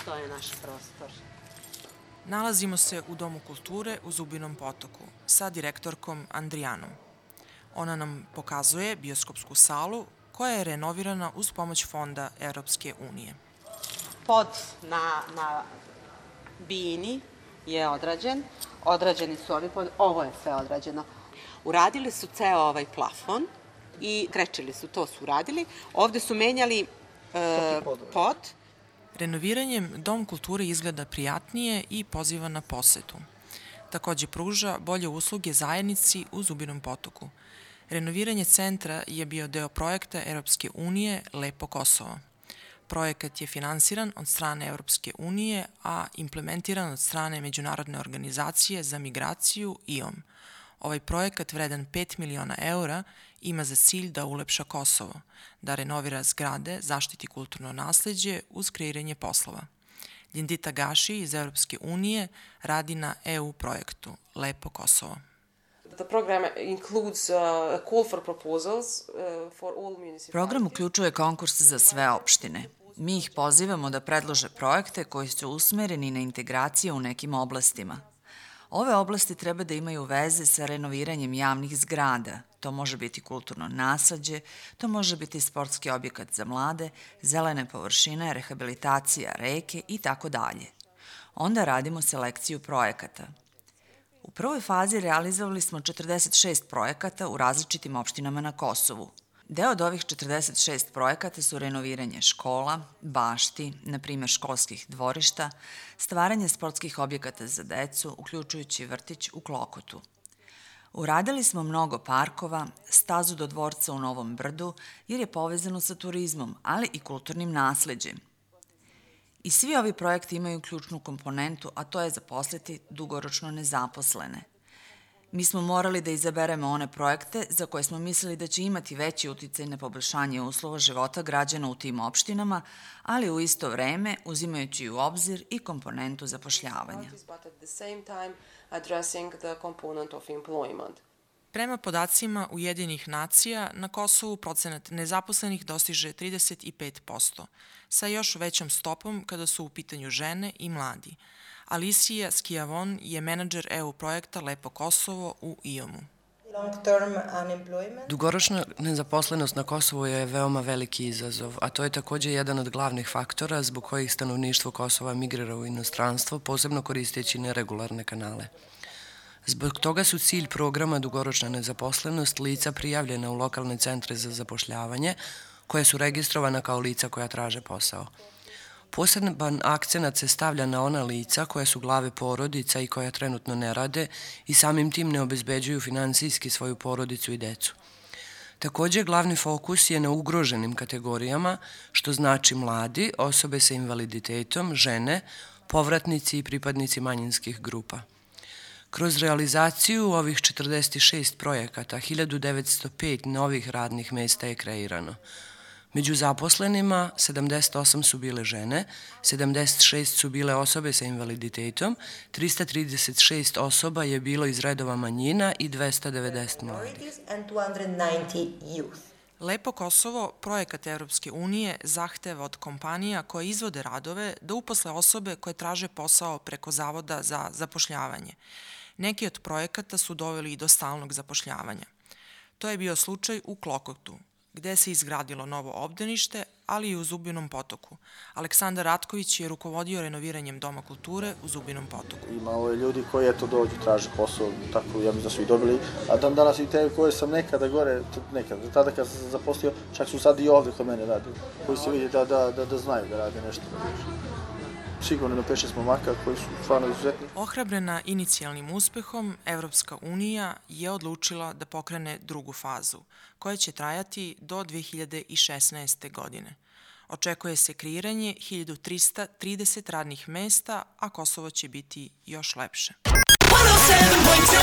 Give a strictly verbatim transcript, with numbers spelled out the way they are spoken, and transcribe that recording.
To je naš prostor. Nalazimo se u Domu kulture u Zubinom Potoku sa direktorkom Andrijanom. Ona nam pokazuje bioskopsku salu koja je renovirana uz pomoć Fonda Evropske unije. Pod na, na bini je odrađen, odrađeni su ovi pod, ovo je sve odrađeno. Uradili su ceo ovaj plafon i krečili su, to su uradili. Ovde su menjali e, pod. Renoviranjem Dom kulture izgleda prijatnije i poziva na posetu. Takođe pruža bolje usluge zajednici u Zubinom Potoku. Renoviranje centra je bio deo projekta Evropske unije Lepo Kosovo. Projekat je finansiran od strane Evropske unije, a implementiran od strane Međunarodne organizacije za migraciju I O M. Ovaj projekat vredan pet miliona eura ima za cilj da ulepša Kosovo, da renovira zgrade, zaštiti kulturno nasleđe uz kreiranje poslova. Ljendita Gaši iz Evropske unije radi na E U projektu Lepo Kosovo. Program uključuje konkurs za sve opštine. Mi ih pozivamo da predlože projekte koji su usmereni na integracije u nekim oblastima. Ove oblasti treba da imaju veze sa renoviranjem javnih zgrada. To može biti kulturno nasleđe, to može biti sportski objekat za mlade, zelene površine, rehabilitacija reke i tako dalje. Onda radimo selekciju projekata. U prvoj fazi realizovali smo četrdeset šest projekata u različitim opštinama na Kosovu. Deo od ovih četrdeset šest projekata su renoviranje škola, bašti, na primjer školskih dvorišta, stvaranje sportskih objekata za decu, uključujući vrtić u Klokotu. Uradili smo mnogo parkova, stazu do dvorca u Novom Brdu, jer je povezano sa turizmom, ali i kulturnim nasleđem. I svi ovi projekti imaju ključnu komponentu, a to je zaposliti dugoročno nezaposlene. Mi smo morali da izaberemo one projekte za koje smo mislili da će imati veći uticaj na poboljšanje uslova života građana u tim opštinama, ali u isto vreme uzimajući u obzir i komponentu zapošljavanja. Prema podacima Ujedinjenih nacija, na Kosovu procenat nezaposlenih dostiže trideset pet posto, sa još većom stopom kada su u pitanju žene i mladi. Alicija Skijavon je menadžer E U projekta Lepo Kosovo u I O M-u. Dugoročna nezaposlenost na Kosovu je veoma veliki izazov, a to je takođe jedan od glavnih faktora zbog kojih stanovništvo Kosova migrira u inostranstvo, posebno koristeći neregularne kanale. Zbog toga su cilj programa dugoročna nezaposlenost lica prijavljena u lokalne centre za zapošljavanje, koje su registrovana kao lica koja traže posao. Poseban akcenat se stavlja na ona lica koja su glave porodica i koja trenutno ne rade i samim tim ne obezbeđuju finansijski svoju porodicu i decu. Takođe, glavni fokus je na ugroženim kategorijama, što znači mladi, osobe sa invaliditetom, žene, povratnici i pripadnici manjinskih grupa. Kroz realizaciju ovih četrdeset šest projekata, hiljadu devetsto pet novih radnih mesta je kreirano. Među zaposlenima sedamdeset osam su bile žene, sedamdeset šest su bile osobe sa invaliditetom, trista trideset šest osoba je bilo iz redova manjina i dvesta devedeset mladih. Lepo Kosovo, projekat Evropske unije, zahteva od kompanija koje izvode radove da uposle osobe koje traže posao preko Zavoda za zapošljavanje. Neki od projekata su doveli i do stalnog zapošljavanja. To je bio slučaj u Klokotu, gde se izgradilo novo obdanište, ali i u Zubinom Potoku. Aleksandar Ratković je rukovodio renoviranjem Doma kulture u Zubinom Potoku. Imalo je ljudi koji eto dođu, traže posao, tako ja mislim da su i dobili, a dan danas i te koje sam nekada gore, nekada, tada kad sam zaposlio, čak su sad i ovde kod mene radili, koji se vidi da, da, da, da znaju da rade nešto. Sigurno na pet šest momaka koji su stvarno izuzetni. Ohrabrena inicijalnim uspehom, Evropska unija je odlučila da pokrene drugu fazu, koja će trajati do dve hiljade šesnaeste. godine. Očekuje se kreiranje hiljadu trista trideset radnih mesta, a Kosovo će biti još lepše. one oh seven point two